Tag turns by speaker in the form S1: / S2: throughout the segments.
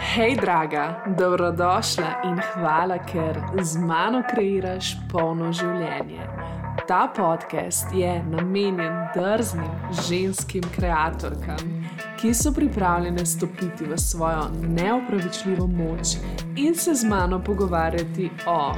S1: Hej, draga, dobrodošla in hvala, ker z mano kreiraš polno življenje. Ta podcast je namenjen drznim ženskim kreatorkam, ki so pripravljene stopiti v svojo neopravičljivo moč in se z mano pogovarjati o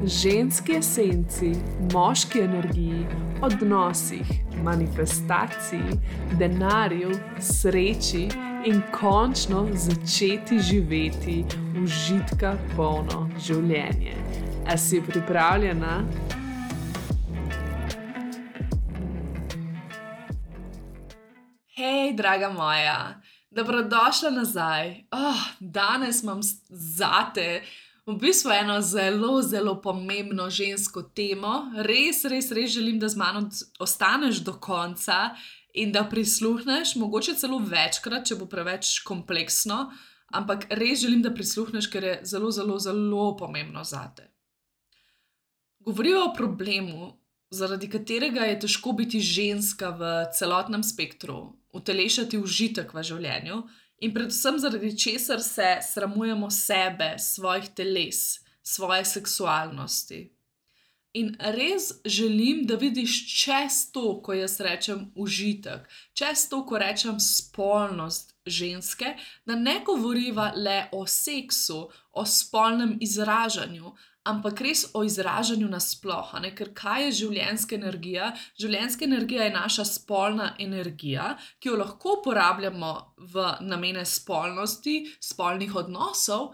S1: ženski esenci, moški energiji, odnosih, manifestaciji, denarju, sreči in končno začeti živeti užitka polno življenje. A si pripravljena? Hej, draga moja, dobrodošla nazaj. Danes imam zate v bistvu eno zelo pomembno žensko temo. Res želim, da z mano ostaneš do konca in da prisluhneš, mogoče celo večkrat, če bo preveč kompleksno, ampak res želim, da prisluhneš, ker je zelo pomembno zate. Govorijo o problemu, zaradi katerega je težko biti ženska v celotnem spektru, utelešati užitek v življenju in predvsem zaradi česar se sramujemo sebe, svojih teles, svoje seksualnosti. In res želim, da vidiš čez to, ko jaz rečem užitek, čez to, ko rečem spolnost ženske, da ne govoriva le o seksu, o spolnem izražanju, ampak res o izražanju nasploh, ker kaj je življenjska energija? Življenjska energija je naša spolna energija, ki jo lahko uporabljamo v namene spolnosti, spolnih odnosov,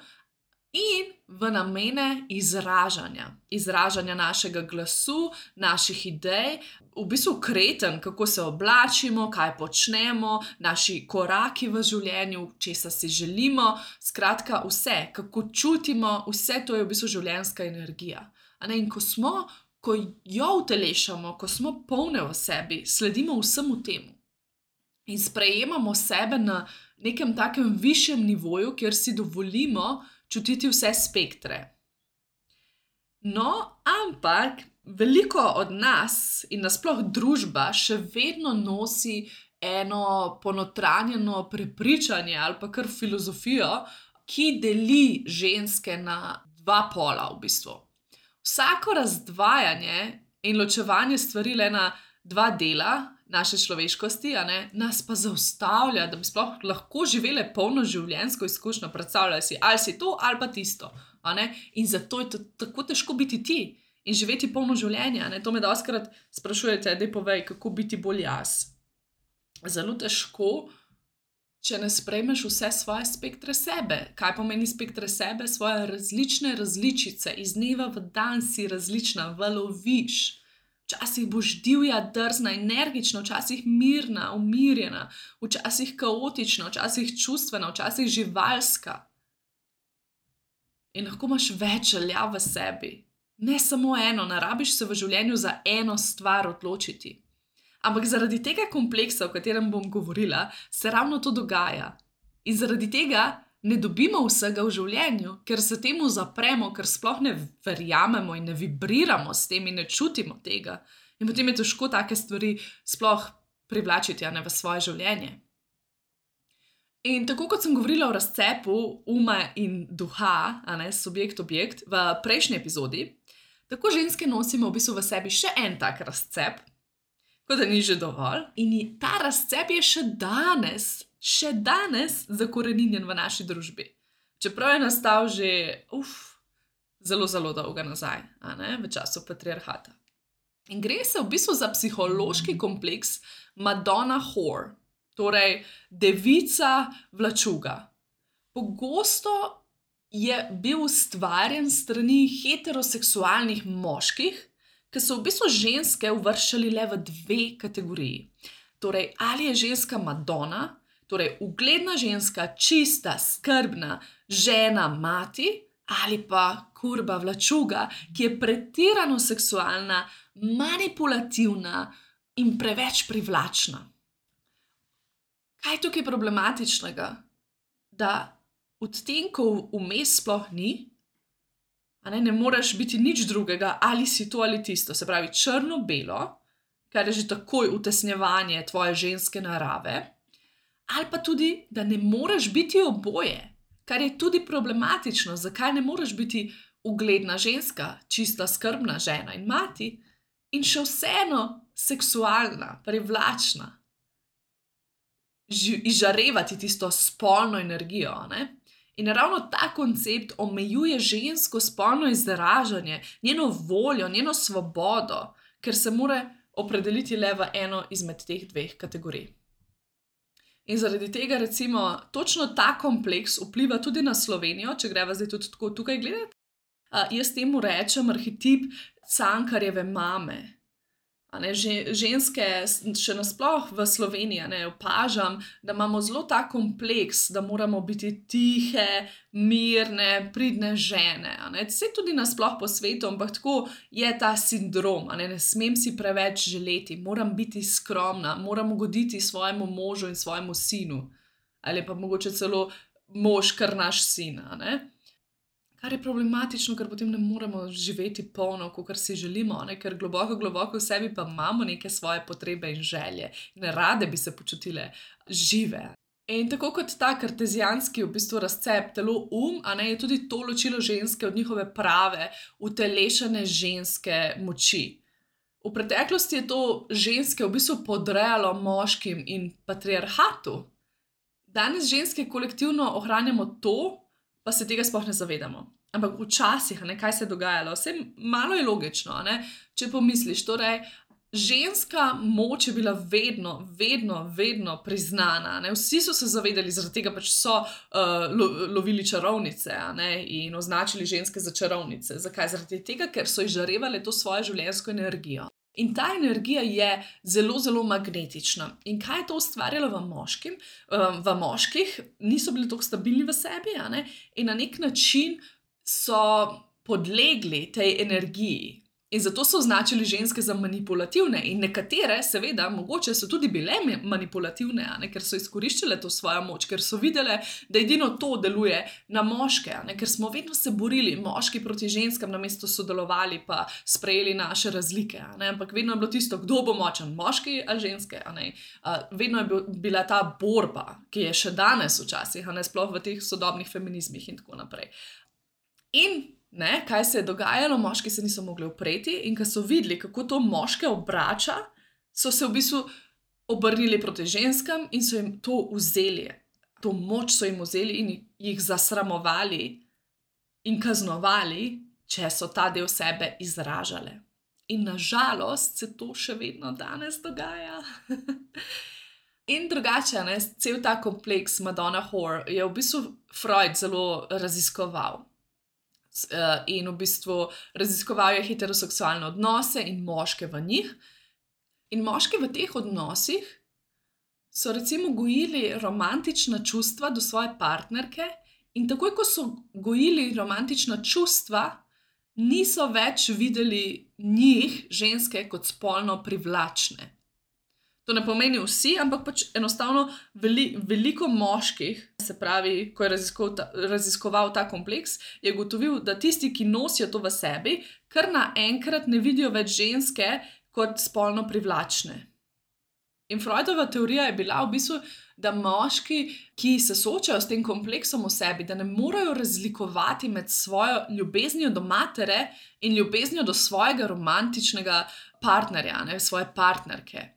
S1: in v namene izražanja našega glasu, naših idej, v bistvu kreten, kako se oblačimo, kaj počnemo, naši koraki v življenju, česa si želimo, skratka vse, kako čutimo, vse to je v bistvu življenjska energija. In ko jo utelešamo, ko smo polne v sebi, sledimo vsemu temu in sprejemamo sebe na nekem takem višjem nivoju, kjer si dovolimo čutiti vse spektre. No, ampak veliko od nas in nasploh družba še vedno nosi eno ponotranjeno prepričanje ali pa kar filozofijo, ki deli ženske na dva pola v bistvu. Vsako razdvajanje in ločevanje stvari le na dva dela naše človeškosti, nas pa zaustavlja, da bi sploh lahko živele polno življenjsko izkušnjo. Predstavljaj si, ali si to ali pa tisto. In zato je tako težko biti ti in živeti polno življenje. To me dostikrat sprašujete, daj povej, kako biti bolj jaz. Zelo težko, če ne sprejmeš vse svoje spektre sebe. Kaj pomeni spektre sebe? Svoje različne različice. Iz dneva v dan si različna, valoviš. Včasih boš divja, drzna, energična, včasih mirna, umirjena, včasih kaotična, včasih čustvena, včasih živalska. In lahko imaš več želja v sebi. Ne samo eno, ne rabiš se v življenju za eno stvar odločiti. Ampak zaradi tega kompleksa, o katerem bom govorila, se ravno to dogaja. In zaradi tega ne dobimo vsega v življenju, ker se temu zapremo, ker sploh ne verjamemo in ne vibriramo s tem in ne čutimo tega. In potem je težko take stvari sploh privlačiti v svoje življenje. In tako kot sem govorila o razcepu uma in duha, subjekt-objekt, v prejšnji epizodi, tako ženske nosimo v bistvu v sebi še en tak razcep, kot da ni že dovolj. In ta razcep je še danes zakoreninjen v naši družbi. Čeprav je nastal že zelo dolgo nazaj, v času patriarhata. In gre se v bistvu za psihološki kompleks Madonna Whore, torej devica vlačuga. Pogosto je bil ustvarjen s strani heteroseksualnih moških, ki so v bistvu ženske uvrščali le v dve kategoriji. Torej, ali je ženska Madonna, torej ugledna ženska, čista, skrbna, žena, mati, ali pa kurba vlačuga, ki je pretirano seksualna, manipulativna in preveč privlačna. Kaj je tukaj problematičnega? Da odtenkov vmes sploh ni, ne moreš biti nič drugega, ali si to ali tisto, se pravi črno-belo, kar je že takoj utesnjevanje tvoje ženske narave, ali pa tudi, da ne moreš biti oboje, kar je tudi problematično, zakaj ne moreš biti ugledna ženska, čista skrbna žena in mati in še vseeno seksualna, privlačna, izžarevati tisto spolno energijo. Ne? In ravno ta koncept omejuje žensko spolno izražanje, njeno voljo, njeno svobodo, ker se mora opredeliti le v eno izmed teh dveh kategorij. In zaradi tega, recimo, točno ta kompleks vpliva tudi na Slovenijo, če greva zdaj tudi tako tukaj gledati. Jaz temu rečem arhetip Cankarjeve mame. Ženske, še nasploh v Sloveniji, opažam, da imamo zelo ta kompleks, da moramo biti tihe, mirne, pridne žene. Vse tudi nasploh po svetu, ampak tako je ta sindrom. Ne smem si preveč želeti, moram biti skromna, moram ugoditi svojemu možu in svojemu sinu. Ali pa mogoče celo mož, kar naš sin. Kar je problematično, ker potem ne moremo živeti polno, kakor si želimo, ker globoko v sebi pa imamo neke svoje potrebe in želje. In rade bi se počutile žive. In tako kot ta kartezijanski v bistvu razcep telo je tudi to ločilo ženske od njihove prave, utelešene ženske moči. V preteklosti je to ženske v bistvu podrejalo moškim in patriarhatu. Danes ženske kolektivno ohranjamo to, pa se tega sploh ne zavedamo. Ampak včasih, kaj se je dogajalo, vse malo je logično, če pomisliš. Torej, ženska moč je bila vedno priznana. Vsi so se zavedali, zaradi tega pač so lovili čarovnice in označili ženske za čarovnice. Zakaj? Zaradi tega, ker so izžarevale to svojo življenjsko energijo. In ta energija je zelo magnetična. In kaj je to ustvarjalo v moških? Niso bili tako stabilni v sebi, in na nek način so podlegli tej energiji. In zato so označili ženske za manipulativne. In nekatere, seveda, mogoče so tudi bile manipulativne, ker so izkoriščale to svojo moč, ker so videle, da edino to deluje na moške, ker smo vedno se borili, moški proti ženskam, namesto sodelovali pa sprejeli naše razlike. Ampak vedno je bilo tisto, kdo bo močen, moški ali ženske. Vedno je bila ta borba, ki je še danes včasih, sploh v teh sodobnih feminizmih in tako naprej. In kaj se je dogajalo, moški se niso mogli upreti in ko so videli, kako to moške obrača, so se v bistvu obrnili proti ženskam in so jim to vzeli. To moč so jim vzeli in jih zasramovali in kaznovali, če so ta del sebe izražale. In nažalost se to še vedno danes dogaja. In drugače, cel ta kompleks Madonna Whore je v bistvu Freud zelo raziskoval. In v bistvu raziskoval je heteroseksualne odnose in moške v njih. In moški v teh odnosih so recimo gojili romantična čustva do svoje partnerke in takoj, ko so gojili romantična čustva, niso več videli njih, ženske, kot spolno privlačne. To ne pomeni vsi, ampak pač enostavno veliko moških, se pravi, ko je raziskoval ta kompleks, je ugotovil, da tisti, ki nosijo to v sebi, kar naenkrat ne vidijo več ženske kot spolno privlačne. In Freudova teorija je bila v bistvu, da moški, ki se soočajo s tem kompleksom v sebi, da ne morejo razlikovati med svojo ljubeznijo do matere in ljubeznijo do svojega romantičnega partnerja, svoje partnerke.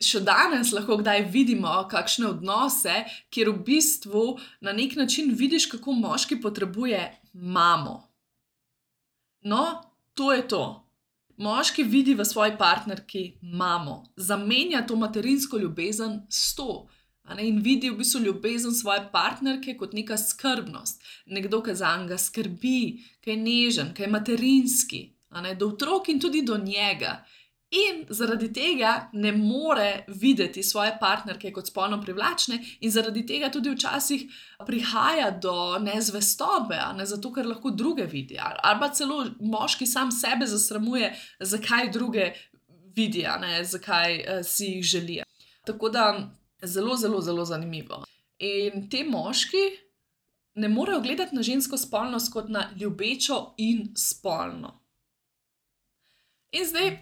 S1: Še danes lahko kdaj vidimo kakšne odnose, kjer v bistvu na nek način vidiš, kako moški potrebuje mamo. No, to je to. Moški vidi v svoji partnerki mamo. Zamenja to materinsko ljubezen s to. In vidi v bistvu ljubezen svoje partnerke kot neka skrbnost. Nekdo, ki zanj skrbi, ki je nežen, ki je materinski. Do otrok in tudi do njega. In zaradi tega ne more videti svoje partnerke kot spolno privlačne in zaradi tega tudi včasih prihaja do nezvestobe, zato ker lahko druge vidi. Ali pa celo moški sam sebe zasramuje, zakaj druge vidi, zakaj si jih želi. Tako da zelo zanimivo. In te moški ne morejo gledati na žensko spolnost kot na ljubečo in spolno. In zdaj,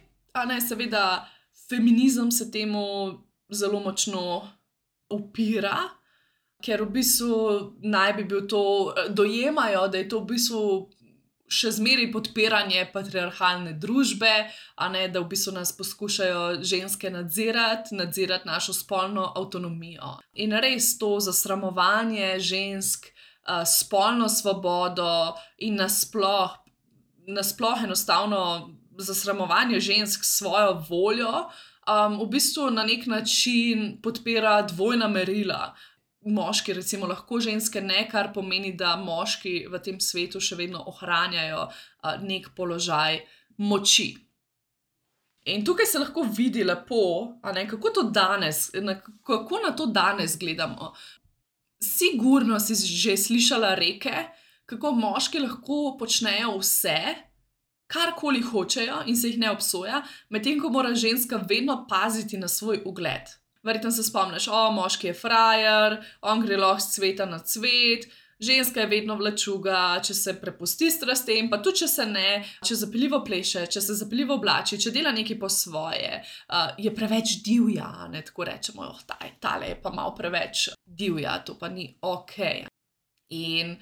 S1: seveda, feminizem se temu zelo močno upira, ker v bistvu naj bi bil to, dojemajo, da je to v bistvu še zmeraj podpiranje patriarhalne družbe, a ne, da v bistvu nas poskušajo ženske nadzirati našo spolno avtonomijo. In res to zasramovanje žensk, spolno svobodo in nasploh enostavno zasramovanje žensk s svojo voljo, v bistvu na nek način podpira dvojna merila. Moški recimo lahko ženske ne, kar pomeni, da moški v tem svetu še vedno ohranjajo nek položaj moči. In tukaj se lahko vidi lepo, a ne, kako na to danes gledamo. Sigurno si že slišala reke, kako moški lahko počnejo vse, karkoli hočejo in se jih ne obsoja, medtem ko mora ženska vedno paziti na svoj ugled. Verjetno se spomniš, moški je frajer, on gre lahko s cveta na cvet, ženska je vedno vlačuga, če se prepusti strastem, pa tudi če se ne, če zapeljivo pleše, če se zapeljivo oblači, če dela nekaj po svoje, je preveč divja, ne, tako rečemo, tale je pa malo preveč divja, to pa ni okej. In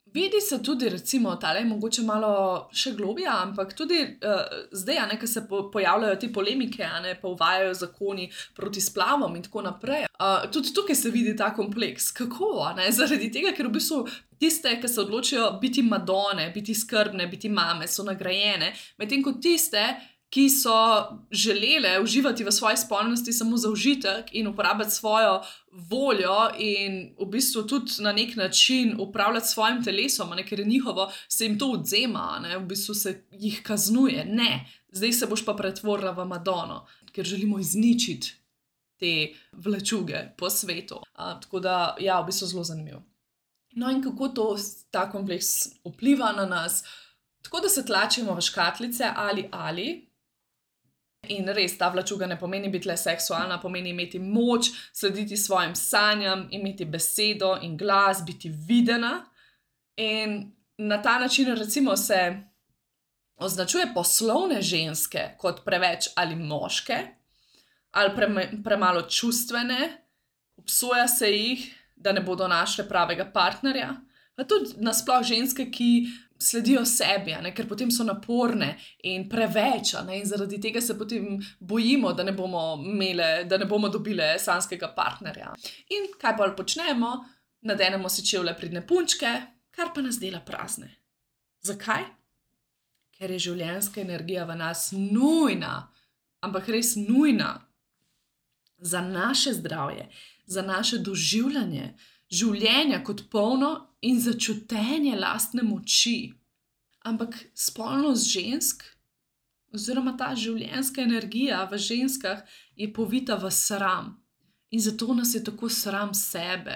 S1: vidi se tudi, recimo, tale je mogoče malo še globja, ampak tudi zdaj, a ne, ko se pojavljajo te polemike, a ne, pa uvajajo zakoni proti splavom in tako naprej. Tudi tukaj se vidi ta kompleks. Kako, a ne? Zaradi tega, ker v bistvu tiste, ki se odločijo biti madone, biti skrbne, biti mame, so nagrajene, medtem ko tiste, ki so želele uživati v svoji spolnosti samo za užitek in uporabljati svojo voljo in v bistvu tudi na nek način upravljati s svojim telesom, a ne, ker je njihovo, se jim to odvzema, a ne, v bistvu se jih kaznuje. Ne, zdaj se boš pa pretvorila v Madono, ker želimo izničiti te vlačuge po svetu. Tako da, ja, v bistvu zelo zanimivo. No in kako ta kompleks vpliva na nas? Tako da se tlačimo v škatlice ali. In res, ta vlačuga ne pomeni biti le seksualna, pomeni imeti moč, slediti svojim sanjam, imeti besedo in glas, biti videna. In na ta način recimo se označuje poslovne ženske kot preveč ali moške, ali premalo čustvene, obsoja se jih, da ne bodo našle pravega partnerja, pa tudi nasploh ženske, ki sledijo sebi, a ne, ker potem so naporne in preveč, a ne, in zaradi tega se potem bojimo, da ne bomo dobile sanjskega partnerja. In kaj bolj počnemo? Nadenemo si čevlje pridne punčke, kar pa nas dela prazne. Zakaj? Ker je življenjska energija v nas nujna, ampak res nujna za naše zdravje, za naše doživljanje življenja kot polno in za čutenje lastne moči. Ampak spolnost žensk, oziroma ta življenjska energija v ženskah je povita v sram. In zato nas je tako sram sebe.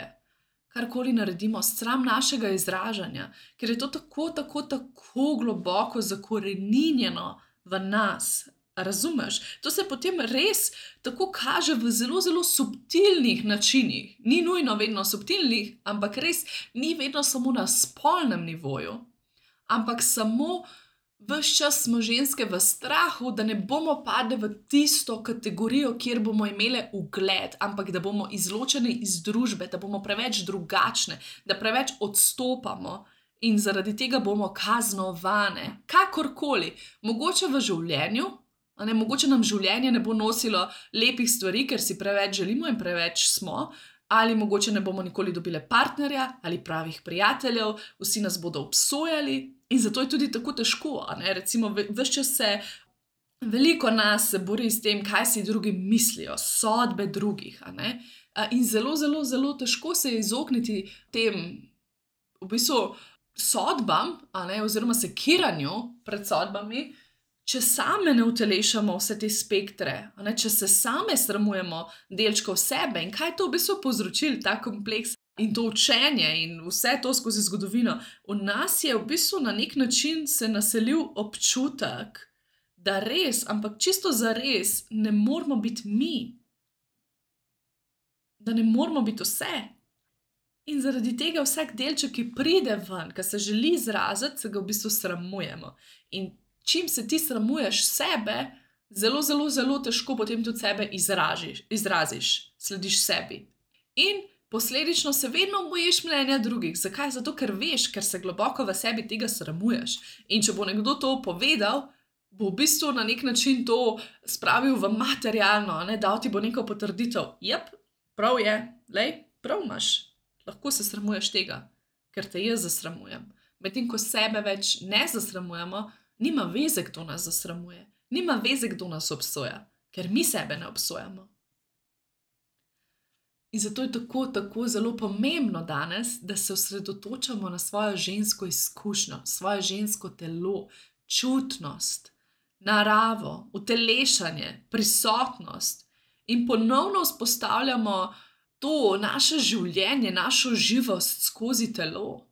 S1: Karkoli naredimo, sram našega izražanja, ker je to tako globoko zakoreninjeno v nas. Razumeš? To se potem res tako kaže v zelo, zelo subtilnih načinih. Ni nujno vedno subtilnih, ampak res ni vedno samo na spolnem nivoju, ampak samo ves čas smo ženske v strahu, da ne bomo padle v tisto kategorijo, kjer bomo imele ugled, ampak da bomo izločene iz družbe, da bomo preveč drugačne, da preveč odstopamo. In zaradi tega bomo kaznovane. Kakorkoli, mogoče v življenju, mogoče nam življenje ne bo nosilo lepih stvari, ker si preveč želimo in preveč smo, ali mogoče ne bomo nikoli dobile partnerja ali pravih prijateljev, vsi nas bodo obsojali in zato je tudi tako težko, a ne, recimo ves čas veliko nas se bori s tem, kaj si drugi mislijo, sodbe drugih, a ne, in zelo, zelo, zelo težko se je izogniti tem, v bistvu, sodbam, a ne, oziroma sekiranju pred sodbami, če same ne utelešamo vse te spektre, a ne, če se same sramujemo delčkov sebe in kaj to v bistvu povzročil, ta kompleks in to učenje in vse to skozi zgodovino, v nas je v bistvu na nek način se naselil občutek, da res, ampak čisto zares ne moramo biti mi. Da ne moramo biti vse. In zaradi tega vsak delček, ki pride ven, ki se želi izraziti, se ga v bistvu sramujemo. In čim se ti sramuješ sebe, zelo, zelo, zelo težko potem tudi sebe izraziš, slediš sebi. In Posledično se vedno bojiš mnenja drugih. Zakaj? Zato, ker veš, ker se globoko v sebi tega sramuješ. In če bo nekdo to povedal, bo v bistvu na nek način to spravil v materialno, dal ti bo neko potrditev. Jep, prav je, prav imaš. Lahko se sramuješ tega, ker te jaz zasramujem. Medtem ko sebe več ne zasramujemo, nima veze, kdo nas zasramuje. Nima veze, kdo nas obsoja, ker mi sebe ne obsojamo. In zato je tako zelo pomembno danes, da se osredotočamo na svojo žensko izkušnjo, svoje žensko telo, čutnost, naravo, utelešanje, prisotnost in ponovno vzpostavljamo to naše življenje, našo živost skozi telo.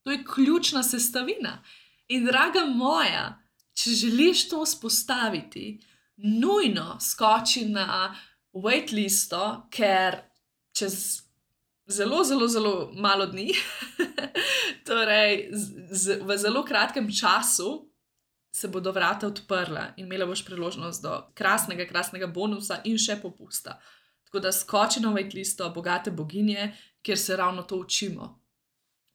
S1: To je ključna sestavina. In draga moja, če želiš to vzpostaviti, nujno skoči na waitlisto, ker čez zelo malo dni, torej v zelo kratkem času, se bodo vrata odprla in imela boš priložnost do krasnega bonusa in še popusta. Tako da skoči na waitlisto Bogate boginje, kjer se ravno to učimo.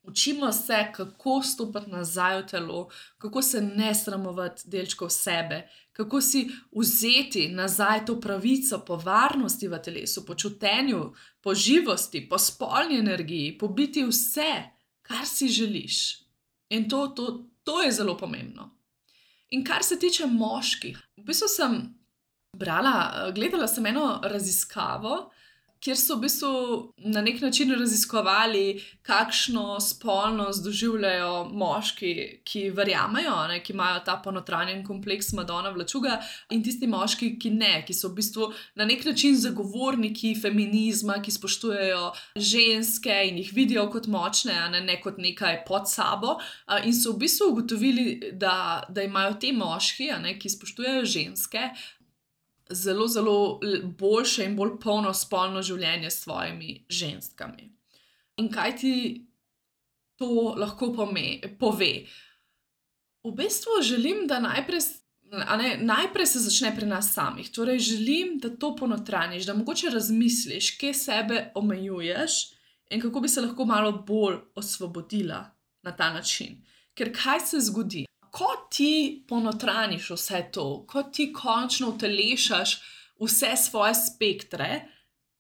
S1: Učimo se, kako stopiti nazaj v telo, kako se ne sramovati delčkov sebe, kako si vzeti nazaj to pravico po varnosti v telesu, po čutenju, po živosti, po spolni energiji, po biti vse, kar si želiš. In to je zelo pomembno. In kar se tiče moških, v bistvu sem gledala sem eno raziskavo, kjer so v bistvu na nek način raziskovali, kakšno spolnost doživljajo moški, ki verjamejo, ki imajo ta ponotranjen kompleks Madonna Vlačuga, in tisti moški, ki ne, ki so v bistvu na nek način zagovorniki feminizma, ki spoštujejo ženske in jih vidijo kot močne, ne kot nekaj pod sabo, in so v bistvu ugotovili, da imajo te moški, ki spoštujejo ženske, zelo boljše in bolj polno spolno življenje s svojimi ženskami. In kaj ti to lahko pove? V bistvu želim, da najprej se začne pri nas samih. Torej želim, da to ponotraniš, da mogoče razmisliš, kje sebe omejuješ in kako bi se lahko malo bolj osvobodila na ta način. Ker kaj se zgodi? Ko ti ponotraniš vse to, ko ti končno utelešaš vse svoje spektre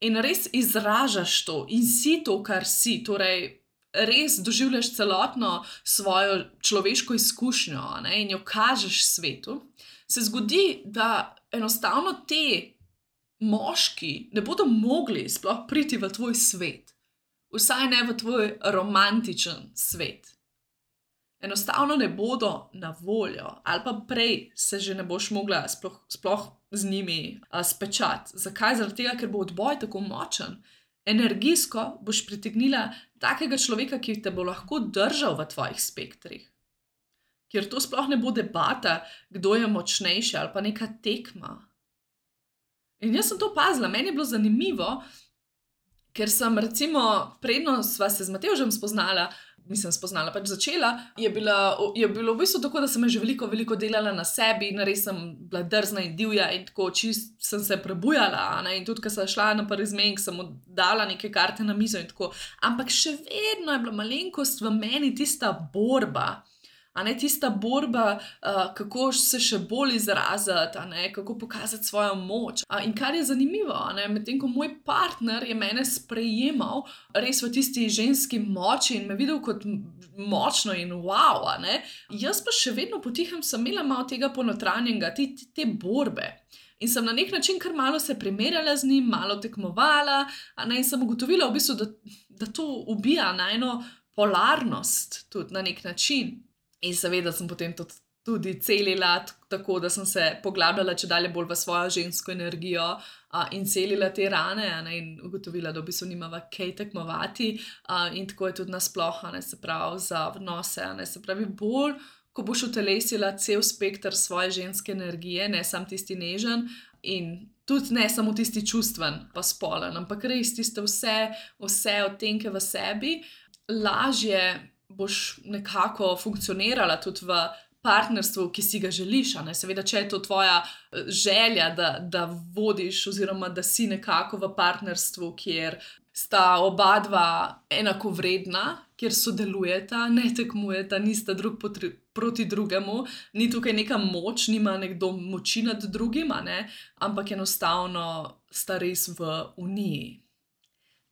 S1: in res izražaš to in si to, kar si, torej res doživljaš celotno svojo človeško izkušnjo, in jo kažeš svetu, se zgodi, da enostavno te moški ne bodo mogli sploh priti v tvoj svet, vsaj ne v tvoj romantičen svet. Enostavno ne bodo na voljo, ali pa prej se že ne boš mogla sploh z njimi spečati. Zakaj? Zaradi tega, ker bo odboj tako močen. Energijsko boš pritegnila takega človeka, ki te bo lahko držal v tvojih spektrih. Ker to sploh ne bo debata, kdo je močnejši, ali pa neka tekma. In jaz sem to opazila, meni je bilo zanimivo, ker sem recimo, predno sva se z Matevžem začela, je bilo v bistvu tako, da sem že veliko delala na sebi in res sem bila drzna in divja in tako čist sem se prebujala, in tudi, ko sem šla na prvi zmenek, sem mu dala neke karte na mizo in tako, ampak še vedno je bila malenkost v meni tista borba, tista borba, kako se še bolj izraziti, kako pokazati svojo moč. In kar je zanimivo, medtem ko moj partner je mene sprejemal res v tisti ženski moči in me videl kot močno in wow, jaz pa še vedno potihem sem imela malo tega ponotranjenega, te borbe. In sem na nek način kar malo se primerjala z njim, malo tekmovala, in sem ugotovila v bistvu, da to ubija najino polarnost tudi na nek način. In seveda sem potem tudi celila tako, da sem se poglabljala čedalje bolj v svojo žensko energijo in celila te rane, in ugotovila, da v bistvu nimava kaj tekmovati, in tako je tudi nasploh, se pravi za odnose, se pravi bolj, ko boš utelesila cel spekter svoje ženske energije, ne samo tisti nežen in tudi ne samo tisti čustven pa spolen, ampak res tiste vse odtenke v sebi, lažje boš nekako funkcionirala tudi v partnerstvu, ki si ga želiš. Seveda, če je to tvoja želja, da vodiš oziroma da si nekako v partnerstvu, kjer sta oba dva enakovredna, kjer sodelujeta, ne tekmujeta, nista drug proti drugemu, ni tukaj neka moč, nima nekdo moči nad drugim, ampak enostavno sta res v uniji.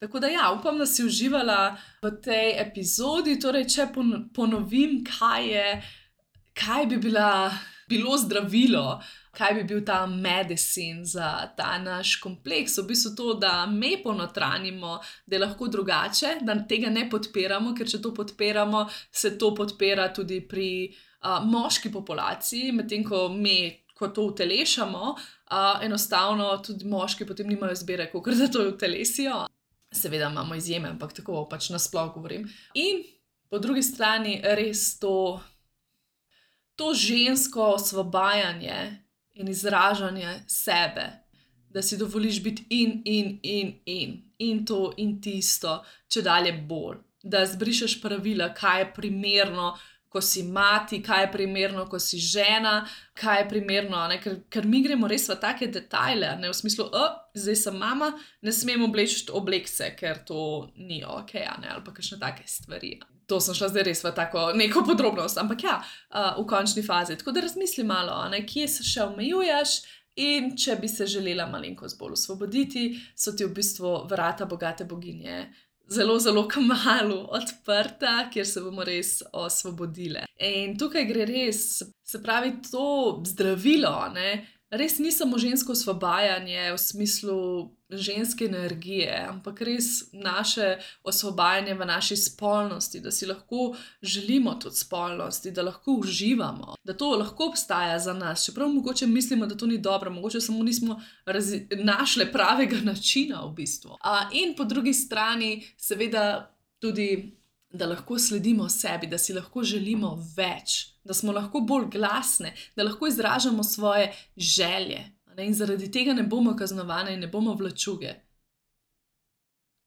S1: Tako da ja, upam, da si uživala v tej epizodi. Torej, če ponovim, kaj bi bilo zdravilo, kaj bi bil ta medicine za ta naš kompleks. V bistvu to, da me ponotranjimo, da je lahko drugače, da tega ne podpiramo, ker če to podpiramo, se to podpira tudi pri moški populaciji, medtem ko to utelešamo, enostavno tudi moški potem nimajo izbire, kakor da to utelesijo. Seveda imamo izjeme, ampak tako pač nasploh govorim. In po drugi strani res to žensko osvobajanje in izražanje sebe, da si dovoliš biti in to in tisto, čedalje bolj. Da zbrišeš pravila, kaj je primerno, ko si mati, kaj je primerno, ko si žena, kaj je primerno, ker mi gremo res v take detajle, v smislu, zdaj sem mama, ne smem obleči oblekce, ker to ni ok, ali pa kakšne take stvari. To sem šla zdaj res v tako neko podrobnost, ampak ja, v končni fazi. Tako da razmisli malo, kje se še omejuješ in če bi se želela malenkost bolj osvoboditi, so ti v bistvu vrata bogate boginje zelo, zelo kmalu odprta, kjer se bomo res osvobodile. In tukaj gre res, se pravi, to zdravilo, res ni samo žensko osvobajanje v smislu ženske energije, ampak res naše osvobajanje v naši spolnosti, da si lahko želimo tudi spolnosti, da lahko uživamo, da to lahko obstaja za nas, čeprav mogoče mislimo, da to ni dobro, mogoče samo nismo našle pravega načina v bistvu. In po drugi strani seveda tudi, da lahko sledimo sebi, da si lahko želimo več, da smo lahko bolj glasne, da lahko izražamo svoje želje. In zaradi tega ne bomo kaznovane in ne bomo vlačuge.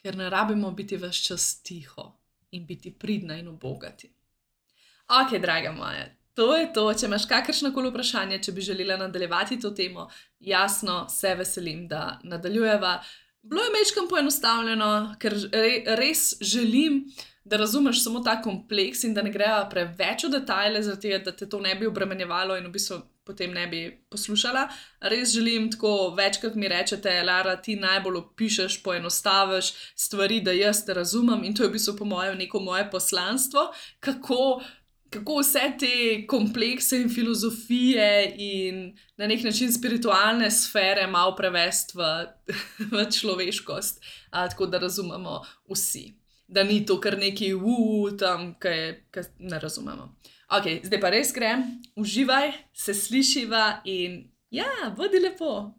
S1: Ker ne rabimo biti ves čas tiho in biti pridna in ubogati. Ok, draga moja, to je to. Če imaš kakršnokoli vprašanje, če bi želela nadaljevati to temo, jasno, se veselim, da nadaljujeva. Bilo je majčkeno poenostavljeno, ker res želim, da razumeš samo ta kompleks in da ne greva preveč v detajle, zaradi tega, da te to ne bi obremenjevalo in v bistvu potem ne bi poslušala. Res želim tako, večkrat mi rečete, Lara, ti najbolj opišeš, poenostaviš stvari, da jaz te razumem, in to je v bistvu po mojem neko moje poslanstvo, kako vse te komplekse in filozofije in na nek način spiritualne sfere malo prevesti v človeškost, tako da razumemo vsi. Da ni to kar neki tam, kaj ne razumemo. Ok, zdaj pa res grem, uživaj, se slišiva in ja, bodi lepo.